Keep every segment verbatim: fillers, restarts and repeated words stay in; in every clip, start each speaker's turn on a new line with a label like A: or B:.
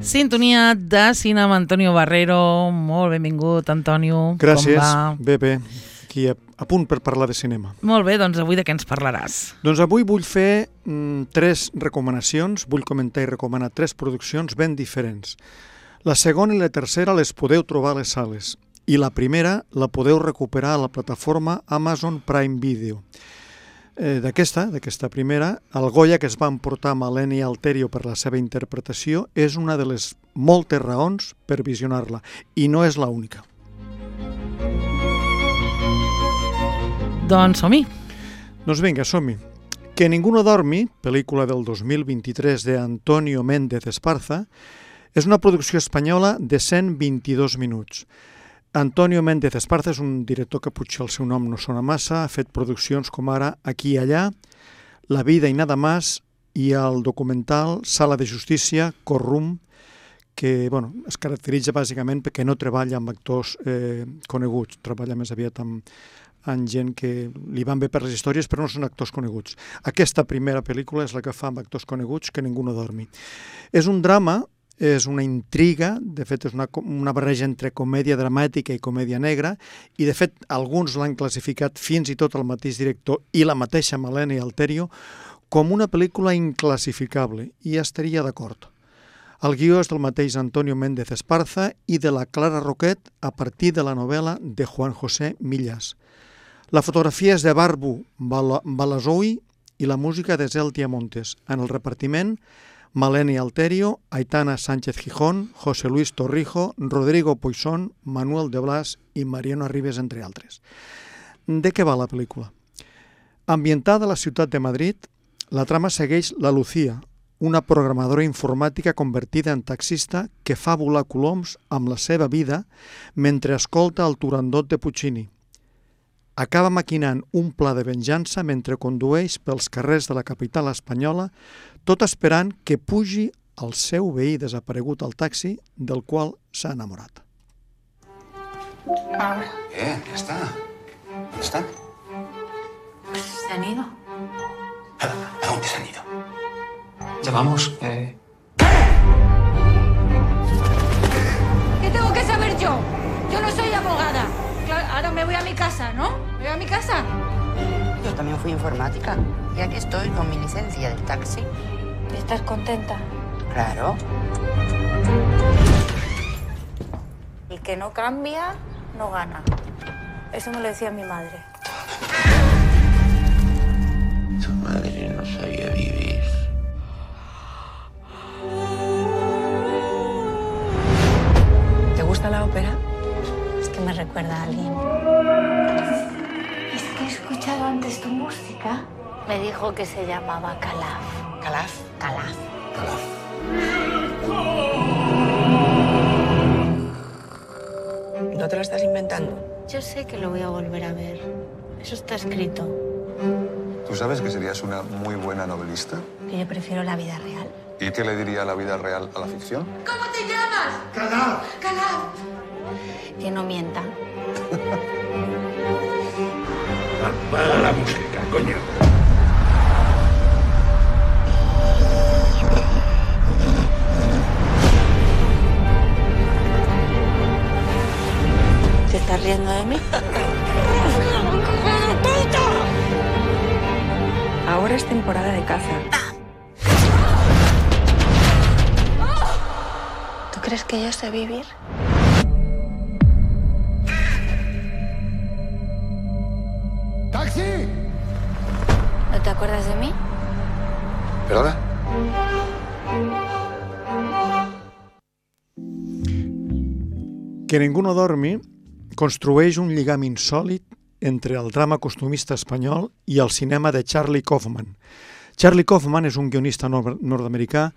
A: Sintonia de cinema, Antonio Barrero. Molt benvingut, Antonio.
B: Gràcies.
A: Com va?
B: Bé, bé. Aquí a, a punt per parlar de cinema.
A: Molt bé, doncs avui de què ens parlaràs?
B: Doncs avui vull fer mm, tres recomanacions, vull comentar i recomanar tres produccions ben diferents. La segona i la tercera les podeu trobar a les sales i la primera la podeu recuperar a la plataforma Amazon Prime Video. Eh, d'aquesta, d'aquesta primera, el Goya que es va emportar Maleni Alterio per la seva interpretació és una de les moltes raons per visionar-la i no és l'única.
A: Doncs som-hi.
B: Doncs vinga, som-hi. Que ningú no dormi, pel·lícula del dos mil vint-i-tres de Antonio Méndez Esparza, és una producció espanyola de cent vint-i-dos minuts. Antonio Méndez Esparza és un director que potser el seu nom no sona massa, ha fet produccions com ara Aquí i allà, La vida i nada más i el documental Sala de justícia, Corrum, que bueno, es caracteritza bàsicament perquè no treballa amb actors eh, coneguts, treballa més aviat amb, amb gent que li van bé per les històries però no són actors coneguts. Aquesta primera pel·lícula és la que fa amb actors coneguts, Que ningú no dormi. És un drama, és una intriga, de fet és una, una barreja entre comèdia dramàtica i comèdia negra, i de fet alguns l'han classificat, fins i tot el mateix director i la mateixa Maleni Alterio, com una pel·lícula inclassificable, i estaria d'acord. El guió és del mateix Antonio Méndez Esparza i de la Clara Roquet a partir de la novel·la de Juan José Millas. La fotografia és de Barbu Balazoui i la música de Zeltia Montes. En el repartiment, Maleni Alterio, Aitana Sánchez Gijón, José Luis Torrijo, Rodrigo Poisson, Manuel de Blas i Mariano Arribes, entre altres. De què va la pel·lícula? Ambientada a la ciutat de Madrid, la trama segueix la Lucía, una programadora informàtica convertida en taxista que fa volar coloms amb la seva vida mentre escolta el Turandot de Puccini. Acaba maquinant un pla de venjança mentre condueix pels carrers de la capital espanyola, tot esperant que pugi el seu veí desaparegut al taxi del qual s'ha enamorat.
C: Ahora.
D: Eh, ya está. ¿Ya está?
C: Pues se han ido.
D: ¿A dónde se han ido?
E: Ya vamos, eh...
C: ¿Qué tengo que saber yo? Yo no soy abogada. Claro, ahora me voy a mi casa, ¿no? ¿Me voy a mi casa?
F: Yo también fui informática y aquí estoy con mi licencia del taxi.
C: ¿Estás contenta?
F: Claro.
C: El que no cambia, no gana. Eso me lo decía mi madre.
D: Tu madre no sabía vivir.
F: ¿Te gusta la ópera?
C: Es que me recuerda a alguien. Es que he escuchado antes tu música. Me dijo que se llamaba Calaf.
F: ¿Calaf?
C: Calaf.
D: Calaf.
F: ¿No te lo estás inventando?
C: Yo sé que lo voy a volver a ver. Eso está escrito.
G: ¿Tú sabes que serías una muy buena novelista?
C: Que yo prefiero la vida real.
G: ¿Y qué le diría la vida real a la ficción?
C: ¿Cómo te llamas?
G: ¡Calaf!
C: Calaf. Que no mienta.
D: Apaga la música, coño.
C: ¿Te estás riendo de mí?
F: Ahora es temporada de caza.
C: ¿Tú crees que yo sé vivir?
G: ¡Taxi!
C: ¿No te acuerdas de mí?
G: ¿Perdona?
B: Que ningú no dormi construeix un lligam insòlit entre el drama costumista espanyol i el cinema de Charlie Kaufman. Charlie Kaufman és un guionista nord-americà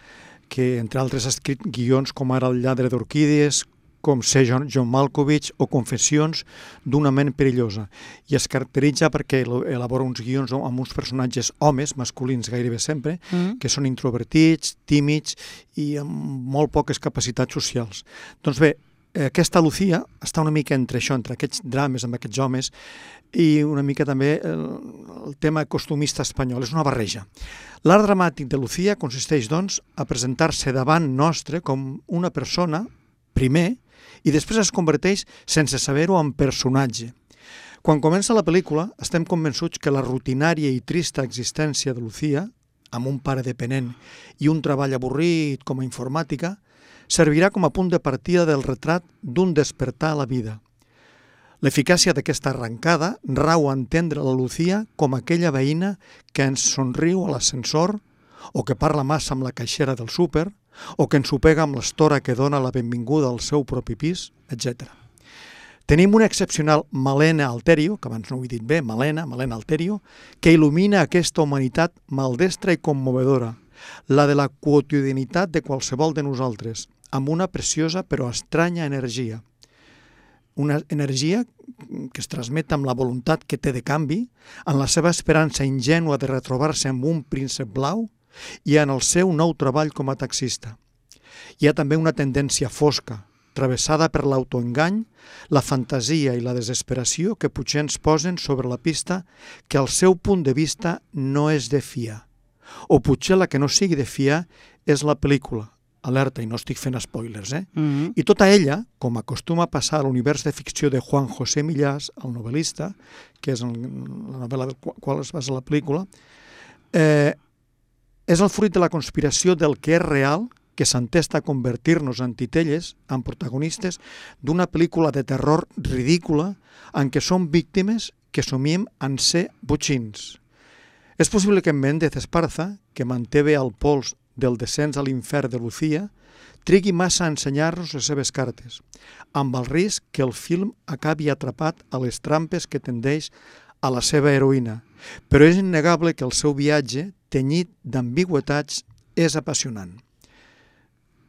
B: que, entre altres, ha escrit guions com ara El lladre d'orquídies, com ser John, John Malkovich o Confessions d'una ment perillosa, i es caracteritza perquè elabora uns guions amb uns personatges homes, masculins gairebé sempre, mm. que són introvertits, tímids i amb molt poques capacitats socials. Doncs bé, aquesta Lucía està una mica entre això, entre aquests drames amb aquests homes i una mica també el, el tema costumista espanyol, és una barreja. L'art dramàtic de Lucía consisteix, doncs, a presentar-se davant nostre com una persona, primer, i després es converteix, sense saber-ho, en personatge. Quan comença la pel·lícula, estem convençuts que la rutinària i trista existència de Lucía, amb un pare dependent i un treball avorrit com a informàtica, servirà com a punt de partida del retrat d'un despertar a la vida. L'eficàcia d'aquesta arrencada rau a entendre la Lucía com aquella veïna que ens somriu a l'ascensor o que parla massa amb la caixera del súper o que ens ho pega amb l'estora que dona la benvinguda al seu propi pis, etcètera. Tenim una excepcional Malena Alterio, que abans no ho he dit bé, Malena, Malena Alterio, que il·lumina aquesta humanitat maldestra i commovedora, la de la quotidianitat de qualsevol de nosaltres, amb una preciosa però estranya energia. Una energia que es transmet amb la voluntat que té de canvi, en la seva esperança ingènua de retrobar-se amb un príncep blau i en el seu nou treball com a taxista. Hi ha també una tendència fosca, travessada per l'autoengany, la fantasia i la desesperació que potser ens posen sobre la pista que el seu punt de vista no és de fiar. O potser la que no sigui de fiar és la pel·lícula. Alerta, i no estic fent spoilers, eh? Mm-hmm. I tota ella, com acostuma a passar a l'univers de ficció de Juan José Millás, el novel·lista, que és la novel·la del qual es basa la pel·lícula, eh, és el fruit de la conspiració del que és real, que s'entesta a convertir-nos en titelles, en protagonistes d'una pel·lícula de terror ridícula en què som víctimes que somiem en ser botxins. És possible que en Méndez Esparza, que manté bé el pols del descens a l'infern de Lucía, trigui massa a ensenyar-nos les seves cartes, amb el risc que el film acabi atrapat a les trampes que tendeix a la seva heroïna. Però és innegable que el seu viatge, tenyit d'ambigüetats, és apassionant.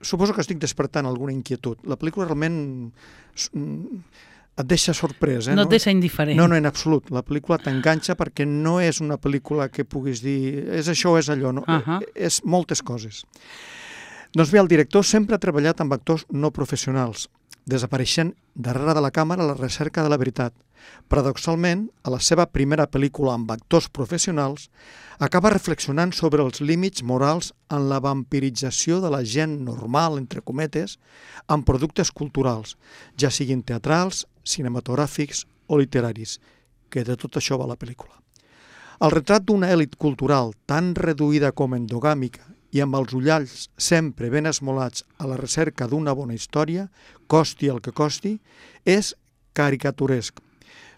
B: Suposo que estic despertant alguna inquietud. La pel·lícula realment et deixa sorprès. Eh?
A: No et deixa indiferent.
B: No, no, en absolut. La pel·lícula t'enganxa perquè no és una pel·lícula que puguis dir és això o és allò. No? Uh-huh. És moltes coses. Doncs bé, el director sempre ha treballat amb actors no professionals, desapareixent darrere de la càmera a la recerca de la veritat. Paradoxalment, a la seva primera pel·lícula amb actors professionals, acaba reflexionant sobre els límits morals en la vampirització de la gent normal, entre cometes, amb productes culturals, ja siguin teatrals, cinematogràfics o literaris, que de tot això va la pel·lícula. El retrat d'una èlit cultural tan reduïda com endogàmica i amb els ullals sempre ben esmolats a la recerca d'una bona història, costi el que costi, és caricaturesc,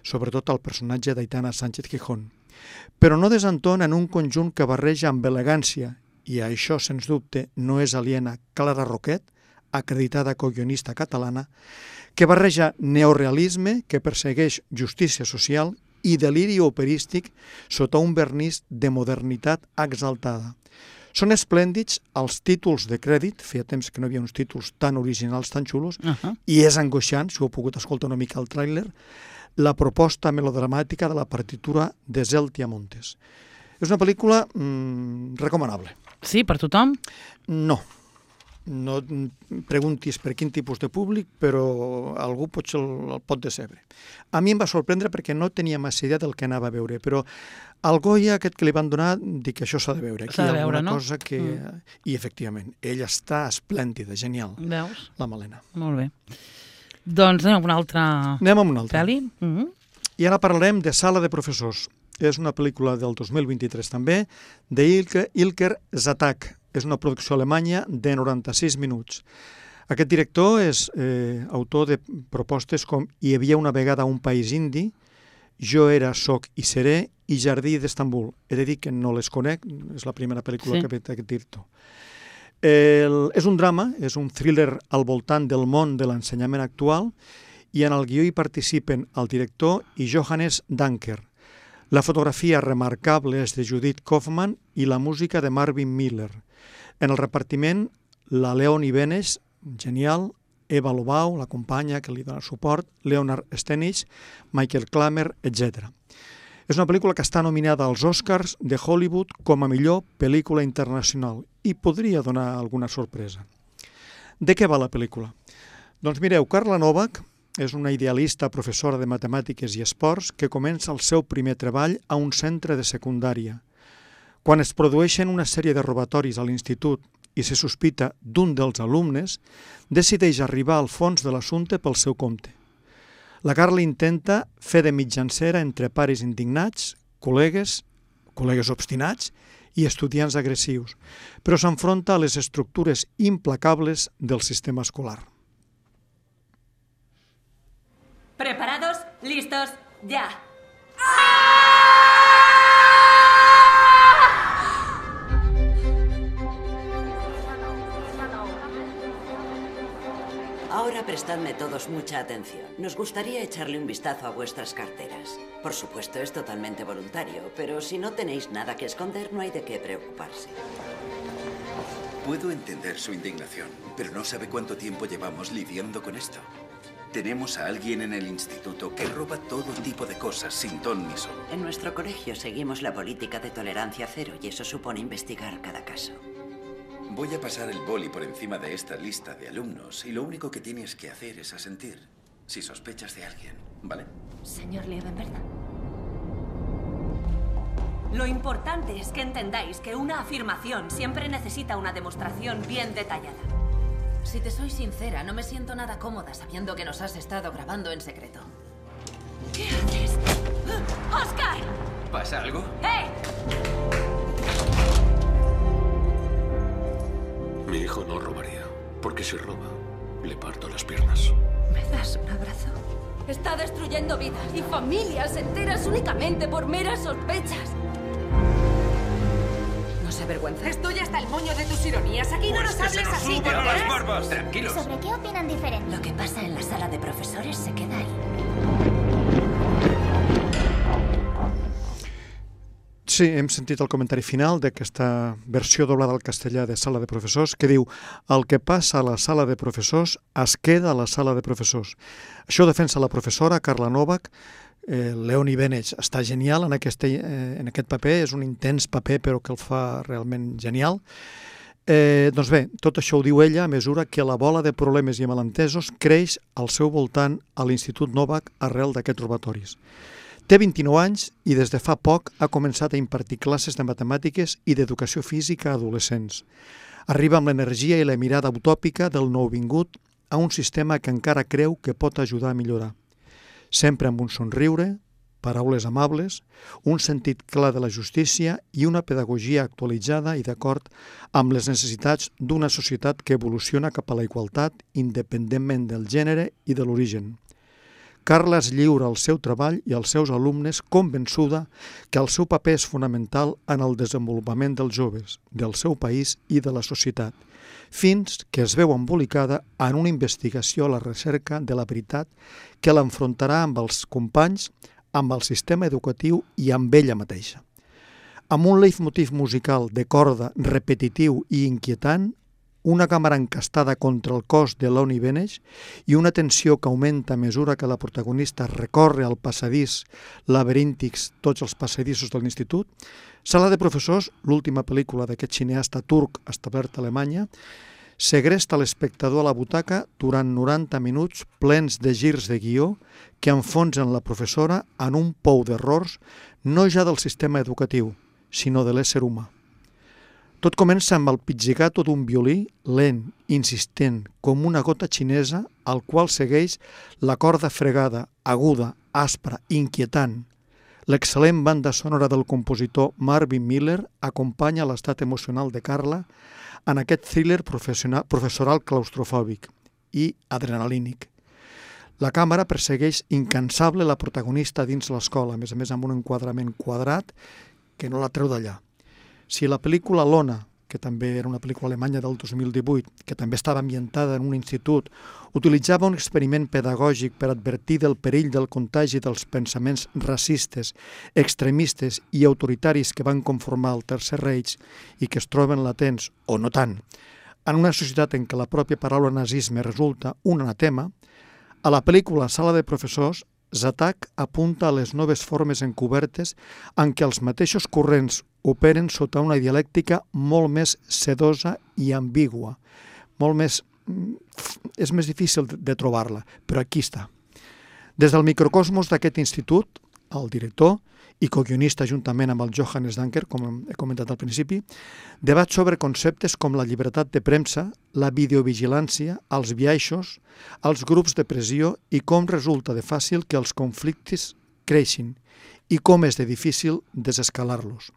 B: sobretot el personatge d'Aitana Sánchez Gijón, però no desentona en un conjunt que barreja amb elegància, i a això, sens dubte, no és aliena Clara Roquet, acreditada co-guionista catalana, que barreja neorealisme que persegueix justícia social i deliri operístic sota un vernís de modernitat exaltada. Són esplèndids els títols de crèdit, feia temps que no hi havia uns títols tan originals, tan xulos, uh-huh. i és angoixant, si ho heu pogut escoltar una mica al tràiler, la proposta melodramàtica de la partitura de Zeltia Montes. És una pel·lícula mmm, recomanable.
A: Sí, per tothom?
B: No. No preguntis per quin tipus de públic, però algú potser el, el pot decebre. A mi em va sorprendre perquè no tenia massa idea del que anava a veure, però al Goya aquest que li van donar, dic que això s'ha de veure. Aquí
A: s'ha de
B: hi ha
A: veure,
B: alguna
A: no?
B: cosa que... Mm. I efectivament, ella està esplèndida, genial.
A: Veus?
B: La Malena.
A: Molt bé. Doncs anem a una altra
B: anem a una altra.
A: pel·li. Mm-hmm.
B: I ara parlarem de Sala de professors. És una pel·lícula del dos mil vint-i-tres també, d'Ilker Ilker Zatak. És una producció alemanya de noranta-sis minuts. Aquest director és eh, autor de propostes com Hi havia una vegada un país indi, Jo era, soc i seré i Jardí d'Estambul. He de dir que no les conec, és la primera pel·lícula sí. que ha fet aquest director. El, és un drama, és un thriller al voltant del món de l'ensenyament actual i en el guió hi participen el director i Johannes Danker. La fotografia remarcable és de Judith Kaufman i la música de Marvin Miller. En el repartiment, la Leonie Benes, genial, Eva Lobau, la companya que li dona suport, Leonard Stenich, Michael Klammer, etcètera. És una pel·lícula que està nominada als Oscars de Hollywood com a millor pel·lícula internacional i podria donar alguna sorpresa. De què va la pel·lícula? Doncs mireu, Carla Novak és una idealista professora de matemàtiques i esports que comença el seu primer treball a un centre de secundària. Quan es produeixen una sèrie de robatoris a l'institut i se sospita d'un dels alumnes, decideix arribar al fons de l'assumpte pel seu compte. La Carla intenta fer de mitjancera entre pares indignats, col·legues, col·legues obstinats i estudiants agressius, però s'enfronta a les estructures implacables del sistema escolar.
H: ¿Preparados? ¿Listos? ¡Ya!
I: Ahora prestadme todos mucha atención. Nos gustaría echarle un vistazo a vuestras carteras. Por supuesto, es totalmente voluntario, pero si no tenéis nada que esconder, no hay de qué preocuparse.
J: Puedo entender su indignación, pero no sabe cuánto tiempo llevamos lidiando con esto. Tenemos a alguien en el instituto que roba todo tipo de cosas sin ton ni son.
I: En nuestro colegio seguimos la política de tolerancia cero y eso supone investigar cada caso.
J: Voy a pasar el boli por encima de esta lista de alumnos y lo único que tienes que hacer es asentir si sospechas de alguien, ¿vale?
H: Señor Liebenberg. Lo importante es que entendáis que una afirmación siempre necesita una demostración bien detallada.
K: Si te soy sincera, no me siento nada cómoda sabiendo que nos has estado grabando en secreto.
H: ¿Qué haces? ¡Oscar!
J: ¿Pasa algo?
H: ¡Hey!
L: Mi hijo no robaría, porque si roba, le parto las piernas.
H: ¿Me das un abrazo?
K: Está destruyendo vidas y familias enteras únicamente por meras sospechas. ¿No se avergüenza?
M: Estoy hasta el moño de tus ironías. Aquí no
J: Pues
M: nos
J: que se
M: hables
J: nos
M: así, ¿te
J: suban las
M: enteras?
J: barbas. Tranquilos.
N: ¿Sobre qué opinan diferente?
H: Lo que pasa en la sala de profesores se queda ahí.
B: Sí, hem sentit el comentari final d'aquesta versió doblada al castellà de Sala de Professors que diu el que passa a la sala de professors es queda a la sala de professors. Això defensa la professora Carla Novak. Eh, Leonie Benech està genial en aquest, eh, en aquest paper, és un intens paper però que el fa realment genial. Eh, doncs bé, tot això ho diu ella a mesura que la bola de problemes i malentesos creix al seu voltant a l'Institut Novak arrel d'aquests robatoris. Té vint-i-nou anys i des de fa poc ha començat a impartir classes de matemàtiques i d'educació física a adolescents. Arriba amb l'energia i la mirada utòpica del nouvingut a un sistema que encara creu que pot ajudar a millorar. Sempre amb un somriure, paraules amables, un sentit clar de la justícia i una pedagogia actualitzada i d'acord amb les necessitats d'una societat que evoluciona cap a la igualtat independentment del gènere i de l'origen. Carla es lliura al seu treball i als seus alumnes convençuda que el seu paper és fonamental en el desenvolupament dels joves, del seu país i de la societat, fins que es veu embolicada en una investigació a la recerca de la veritat que l'enfrontarà amb els companys, amb el sistema educatiu i amb ella mateixa. Amb un leitmotiv musical de corda repetitiu i inquietant, una càmera encastada contra el cos de Leonie Benech i una tensió que augmenta a mesura que la protagonista recorre al passadís laberíntics, tots els passadissos de l'institut. Sala de Professors, l'última pel·lícula d'aquest cineasta turc establert a Alemanya, segresta l'espectador a la butaca durant noranta minuts plens de girs de guió que enfonsen la professora en un pou d'errors no ja del sistema educatiu, sinó de l'ésser humà. Tot comença amb el pizzicato d'un violí lent, insistent, com una gota xinesa, al qual segueix la corda fregada, aguda, aspra, inquietant. L'excel·lent banda sonora del compositor Marvin Miller acompanya l'estat emocional de Carla en aquest thriller professoral claustrofòbic i adrenalínic. La càmera persegueix incansable la protagonista dins l'escola, a més a més amb un enquadrament quadrat que no la treu d'allà. Si la pel·lícula Lona, que també era una pel·lícula alemanya del dos mil divuit, que també estava ambientada en un institut, utilitzava un experiment pedagògic per advertir del perill del contagi dels pensaments racistes, extremistes i autoritaris que van conformar el Tercer Reich i que es troben latents, o no tant, en una societat en què la pròpia paraula nazisme resulta un anatema, a la pel·lícula Sala de Professors, Zatak apunta a les noves formes encobertes en què els mateixos corrents operen sota una dialèctica molt més sedosa i ambigua, molt més és més difícil de trobar-la, però aquí està. Des del microcosmos d'aquest institut, el director i co-guionista juntament amb el Johannes Danker, com he comentat al principi, debat sobre conceptes com la llibertat de premsa, la videovigilància, els biaixos, els grups de pressió i com resulta de fàcil que els conflictes creixin i com és de difícil desescalar-los.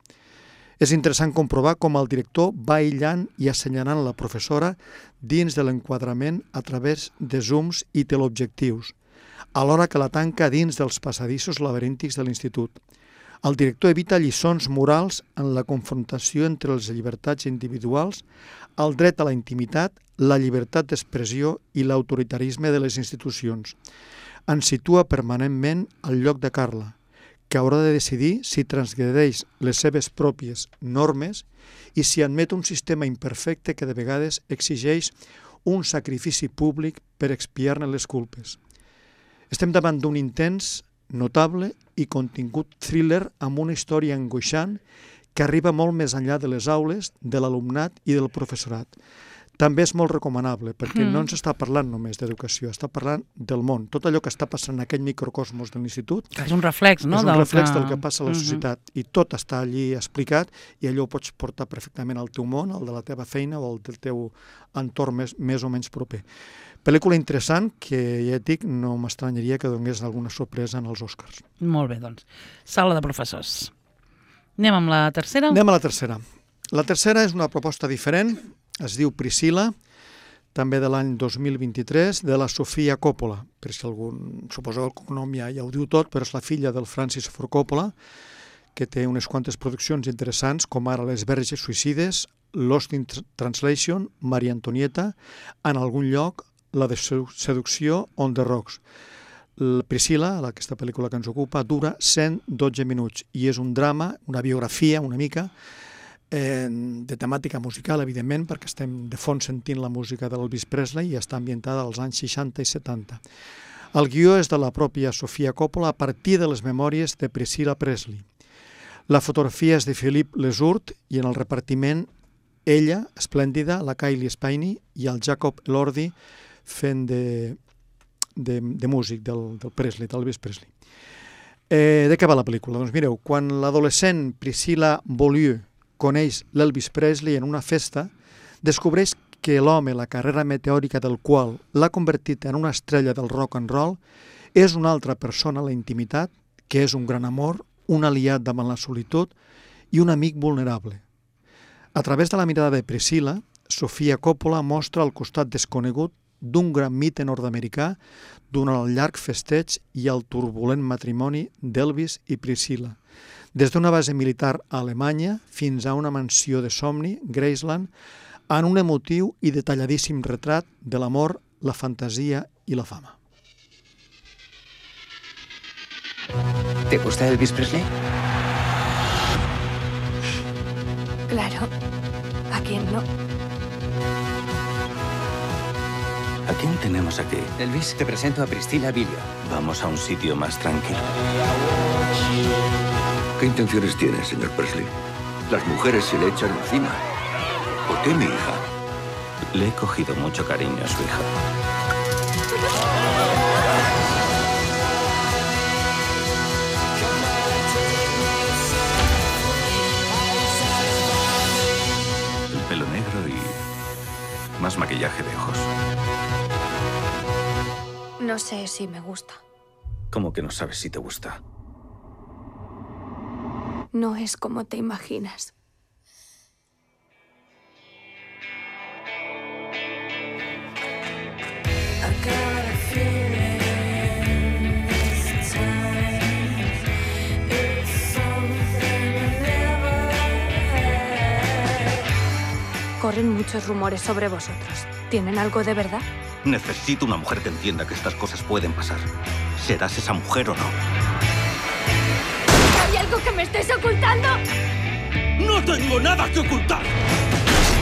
B: És interessant comprovar com el director va aïllant i assenyalant la professora dins de l'enquadrament a través de zooms i teleobjectius, alhora que la tanca dins dels passadissos laberíntics de l'institut. El director evita lliçons morals en la confrontació entre les llibertats individuals, el dret a la intimitat, la llibertat d'expressió i l'autoritarisme de les institucions. Ens situa permanentment al lloc de Carla, que haurà de decidir si transgredeix les seves pròpies normes i si admet un sistema imperfecte que de vegades exigeix un sacrifici públic per expiar-ne les culpes. Estem davant d'un intens, notable i contingut thriller amb una història angoixant que arriba molt més enllà de les aules, de l'alumnat i del professorat. També és molt recomanable, perquè mm. no ens està parlant només d'educació, està parlant del món. Tot allò que està passant en aquell microcosmos de l'institut
A: és un reflex, no?
B: És un
A: del
B: reflex
A: que...
B: del que passa a la societat. Mm-hmm. I tot està allí explicat i allò ho pots portar perfectament al teu món, al de la teva feina o al del teu entorn més, més o menys proper. Pel·lícula interessant que, ja et dic, no m'estranyaria que donés alguna sorpresa en els Oscars.
A: Molt bé, doncs. Sala de professors. Anem amb la tercera?
B: Anem a la tercera. La tercera és una proposta diferent, es diu Priscilla, també de l'any dos mil vint-i-tres, de la Sofia Coppola. Per si algun, suposo que el cognom ja, ja ho diu tot, però és la filla del Francis Ford Coppola, que té unes quantes produccions interessants, com ara Les verges suïcides, Lost in Translation, Maria Antonieta, en algun lloc, La de seducció, On the Rocks. La Priscilla, aquesta pel·lícula que ens ocupa, dura cent dotze minuts i és un drama, una biografia una mica, eh, de temàtica musical, evidentment, perquè estem de fons sentint la música d'Elvis Presley i està ambientada als anys seixanta i setanta. El guió és de la pròpia Sofia Coppola a partir de les memòries de Priscilla Presley. La fotografia és de Philippe Lesourd i en el repartiment ella, esplèndida, la Kylie Spiney i el Jacob Elordi fent de, de, de músic del, del Presley, d'Elvis Presley. Eh, de què va la pel·lícula? Doncs mireu, quan l'adolescent Priscilla Beaulieu coneix l'Elvis Presley en una festa, descobreix que l'home, la carrera meteòrica del qual l'ha convertit en una estrella del rock and roll, és una altra persona a la intimitat, que és un gran amor, un aliat davant la solitud i un amic vulnerable. A través de la mirada de Priscilla, Sofia Coppola mostra el costat desconegut d'un gran mite nord-americà durant el llarg festeig i el turbulent matrimoni d'Elvis i Priscilla. Des d'una base militar a Alemanya fins a una mansió de somni, Graceland, en un emotiu i detalladíssim retrat de l'amor, la fantasia i la fama.
N: ¿Te gusta Elvis Presley?
K: Claro. ¿A quién no?
N: ¿A quién tenemos aquí? Elvis, te presento a Priscilla Beaulieu. Vamos a un sitio más tranquilo.
L: ¿Qué intenciones tiene, señor Presley? Las mujeres se le echan encima. ¿Por qué mi hija?
N: Le he cogido mucho cariño a su hija. El pelo negro y más maquillaje de ojos.
K: No sé si me gusta.
N: ¿Cómo que no sabes si te gusta?
K: No es como te imaginas. Corren muchos rumores sobre vosotros. ¿Tienen algo de verdad?
N: Necesito una mujer que entienda que estas cosas pueden pasar. ¿Serás esa mujer o no?
K: ¿Hay algo que me estés ocultando?
N: ¡No tengo nada que ocultar!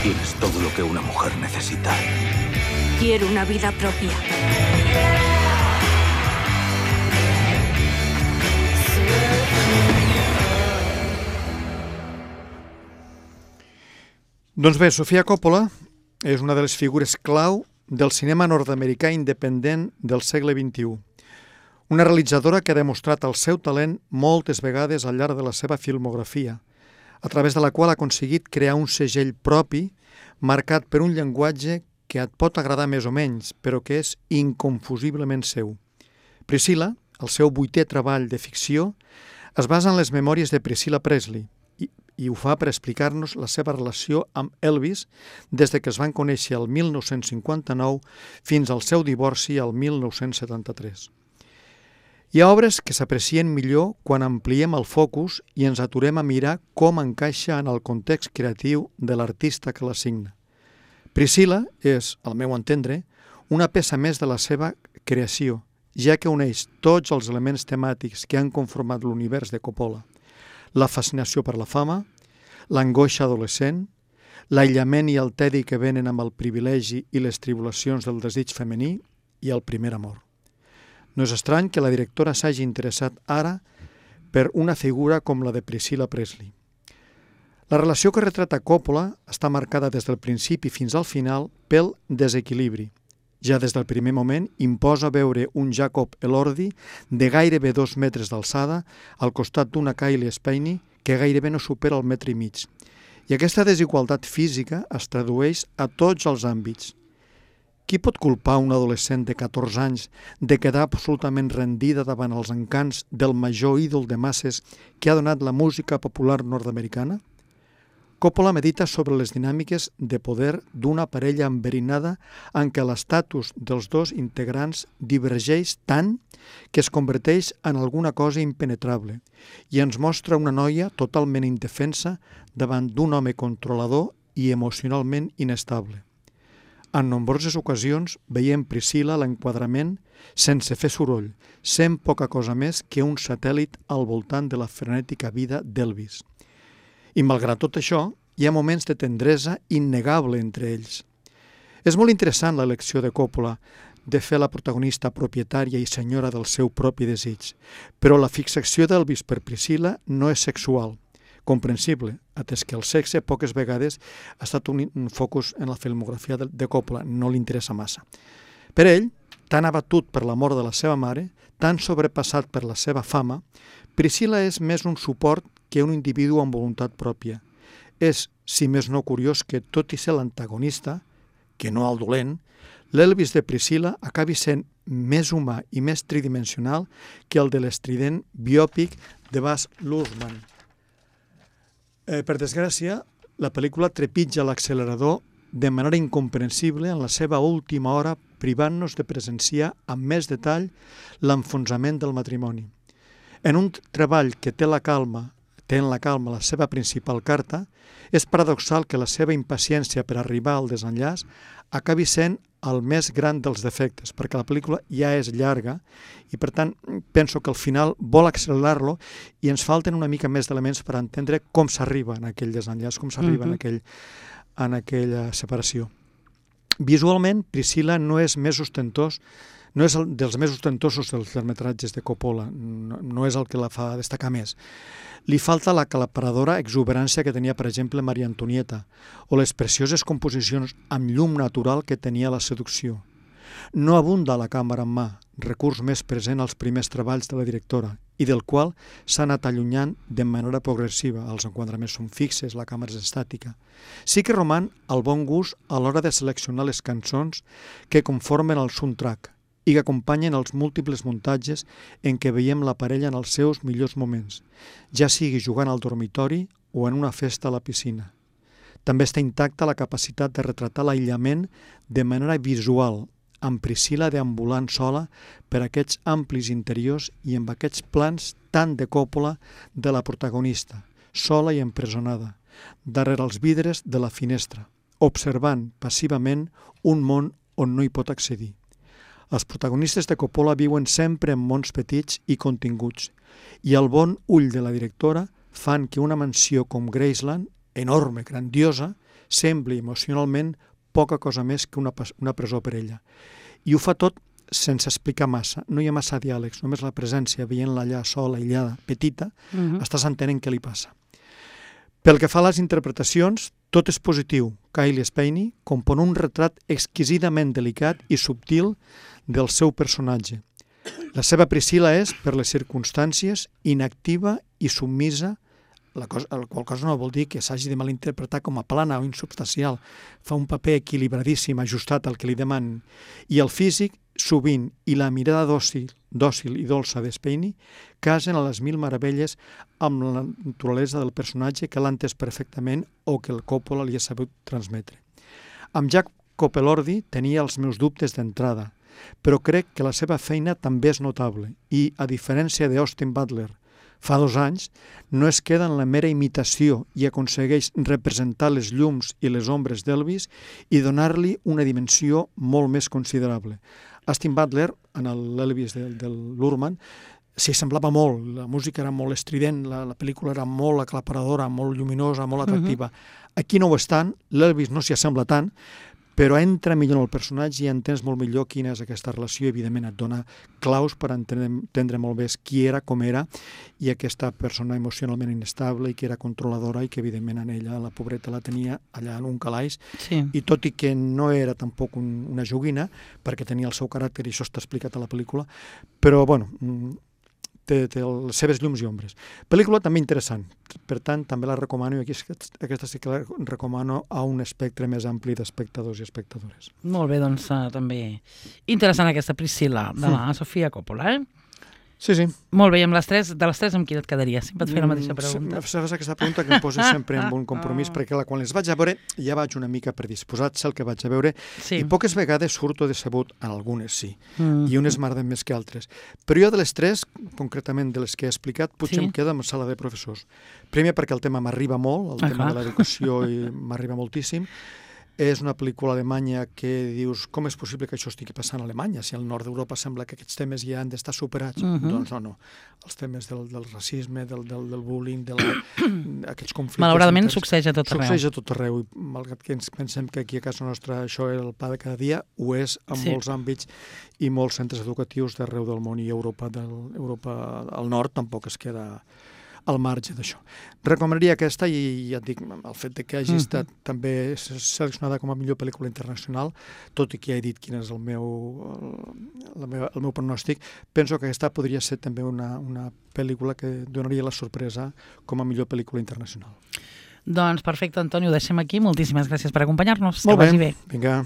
N: Tienes todo lo que una mujer necesita.
K: Quiero una vida propia.
B: Doncs bé, Sofia Coppola és una de les figures clau del cinema nord-americà independent del segle vint-i-u. Una realitzadora que ha demostrat el seu talent moltes vegades al llarg de la seva filmografia, a través de la qual ha aconseguit crear un segell propi marcat per un llenguatge que et pot agradar més o menys, però que és inconfusiblement seu. Priscilla, el seu vuitè treball de ficció, es basa en les memòries de Priscilla Presley i, i ho fa per explicar-nos la seva relació amb Elvis des de que es van conèixer el mil nou-cents cinquanta-nou fins al seu divorci el mil nou-cents setanta-tres. Hi ha obres que s'aprecien millor quan ampliem el focus i ens aturem a mirar com encaixa en el context creatiu de l'artista que la signa. Priscilla és, al meu entendre, una peça més de la seva creació, ja que uneix tots els elements temàtics que han conformat l'univers de Coppola. La fascinació per la fama, l'angoixa adolescent, l'aïllament i el tedi que venen amb el privilegi i les tribulacions del desig femení i el primer amor. No és estrany que la directora s'hagi interessat ara per una figura com la de Priscilla Presley. La relació que retrata Coppola està marcada des del principi fins al final pel desequilibri. Ja des del primer moment imposa veure un Jacob Elordi de gairebé dos metres d'alçada al costat d'una Kylie Spaney que gairebé no supera el metre i mig. I aquesta desigualtat física es tradueix a tots els àmbits. Qui pot culpar un adolescent de catorze anys de quedar absolutament rendida davant els encants del major ídol de masses que ha donat la música popular nord-americana? Coppola medita sobre les dinàmiques de poder d'una parella enverinada en què l'estatus dels dos integrants divergeix tant que es converteix en alguna cosa impenetrable i ens mostra una noia totalment indefensa davant d'un home controlador i emocionalment inestable. En nombroses ocasions veiem Priscilla a l'enquadrament sense fer soroll, sent poca cosa més que un satèl·lit al voltant de la frenètica vida d'Elvis. I malgrat tot això, hi ha moments de tendresa innegable entre ells. És molt interessant l'elecció de Coppola de fer la protagonista propietària i senyora del seu propi desig, però la fixació d'Elvis per Priscilla no és sexual, comprensible, atès que el sexe poques vegades ha estat un, un focus en la filmografia de, de Coppola, no li interessa massa. Per ell, tan abatut per la mort de la seva mare, tan sobrepassat per la seva fama, Priscilla és més un suport que un individu amb voluntat pròpia. És, si més no curiós, que tot i ser l'antagonista, que no el dolent, l'Elvis de Priscilla acabi sent més humà i més tridimensional que el de l'estrident biòpic de Baz Luhrmann. Eh, per desgràcia, la pel·lícula trepitja l'accelerador de manera incomprensible en la seva última hora, privant-nos de presenciar amb més detall l'enfonsament del matrimoni. En un treball que té la calma, té en la calma la seva principal carta, és paradoxal que la seva impaciència per arribar al desenllaç acabi sent el més gran dels defectes, perquè la pel·lícula ja és llarga i, per tant, penso que al final vol accelerar-lo i ens falten una mica més d'elements per entendre com s'arriba en aquell desenllaç, com s'arriba uh-huh. en, aquell, en aquella separació. Visualment, Priscilla no és més ostentós, no és el dels més ostentosos dels llargmetratges de Coppola, no, no és el que la fa destacar més. Li falta la aclaparadora exuberància que tenia, per exemple, Maria Antonieta, o les precioses composicions amb llum natural que tenia la seducció. No abunda la càmera en mà, recurs més present als primers treballs de la directora, i del qual s'ha anat allunyant de manera progressiva. Els enquadraments són fixes, la càmera és estàtica. Sí que roman el bon gust a l'hora de seleccionar les cançons que conformen el soundtrack i que acompanyen els múltiples muntatges en què veiem la parella en els seus millors moments, ja sigui jugant al dormitori o en una festa a la piscina. També està intacta la capacitat de retratar l'aïllament de manera visual, amb Priscilla deambulant sola per aquests amplis interiors i amb aquests plans tan de Coppola de la protagonista, sola i empresonada, darrere els vidres de la finestra, observant passivament un món on no hi pot accedir. Els protagonistes de Coppola viuen sempre en mons petits i continguts, i el bon ull de la directora fan que una mansió com Graceland, enorme, grandiosa, sembli emocionalment poca cosa més que una, una presó per ella. I ho fa tot sense explicar massa, no hi ha massa diàlegs, només la presència, veient-la allà sola, aïllada, petita, uh-huh. estàs entenent què li passa. Pel que fa a les interpretacions, Tot és positiu. Cailee Spaeny compon un retrat exquisidament delicat i subtil del seu personatge. La seva Priscilla és, per les circumstàncies, inactiva i submisa, la cosa, la qual cosa no vol dir que s'hagi de malinterpretar com a plana o insubstancial. Fa un paper equilibradíssim, ajustat al que li demanen. I el físic, sovint, i la mirada dòcil, dòcil i dolça de Spaeny casen a les mil meravelles amb la naturalesa del personatge que l'ha entès perfectament o que el Coppola li ha sabut transmetre. Amb Jacob Elordi tenia els meus dubtes d'entrada, però crec que la seva feina també és notable i, a diferència d'Austin Butler, fa dos anys, no es queda en la mera imitació i aconsegueix representar les llums i les ombres d'Elvis i donar-li una dimensió molt més considerable. Austin Butler, en l'Elvis de, de l'Urman, s'hi semblava molt, la música era molt estrident, la, la pel·lícula era molt aclaparadora, molt lluminosa, molt atractiva. Uh-huh. Aquí no ho és tant, l'Elvis no s'hi assembla tant, però entra millor en el personatge i entens molt millor quina és aquesta relació i, evidentment, et dona claus per entendre, entendre molt bé qui era, com era, i aquesta persona emocionalment inestable i que era controladora i que, evidentment, en ella, la pobreta, la tenia allà en un calaix.
A: Sí. I
B: tot i que no era tampoc un, una joguina, perquè tenia el seu caràcter, i això està explicat a la pel·lícula, però, bueno, té, té les seves llums i ombres. Pel·lícula també interessant, per tant, també la recomano, i aquí aquesta sí que la recomano a un espectre més ampli d'espectadors i espectadores.
A: Molt bé, doncs uh, també interessant aquesta Priscilla de la mm. Sofia Coppola, eh?
B: Sí, sí.
A: Molt bé, i amb les tres, de les tres amb quina et quedaries? Sempre et fer la mateixa pregunta.
B: Saps aquesta pregunta que em posa sempre en un compromís, perquè quan les vaig a veure ja vaig una mica predisposat, sé el que vaig a veure, sí. I poques vegades surto decebut, en algunes sí, mm. i unes m'agraden més que altres. Però jo de les tres, concretament de les que he explicat, potser sí. Em queda amb sala de professors. Primer perquè el tema m'arriba molt, el ah, tema clar. De l'educació m'arriba moltíssim. És una pel·lícula alemanya que dius com és possible que això estigui passant a Alemanya si al nord d'Europa sembla que aquests temes ja han d'estar superats. Uh-huh. Doncs no, no. Els temes del, del racisme, del, del, del bullying, de la, aquests conflictes...
A: Malauradament succeeix a tot arreu.
B: Succeeix a tot arreu. I malgrat que ens pensem que aquí a casa nostra això és el pa de cada dia, ho és en sí. Molts àmbits i molts centres educatius d'arreu del món, i Europa, del, Europa al nord tampoc es queda al marge d'això. Recomanaria aquesta, i ja et dic, el fet de que hagi uh-huh. estat també seleccionada com a millor pel·lícula internacional, tot i que ja he dit quin és el meu, el, el meu, el meu pronòstic, penso que aquesta podria ser també una, una pel·lícula que donaria la sorpresa com a millor pel·lícula internacional.
A: Doncs perfecte, Antoni, ho deixem aquí. Moltíssimes gràcies per acompanyar-nos.
B: Molt
A: que vagi
B: bé.
A: bé.
B: Vinga.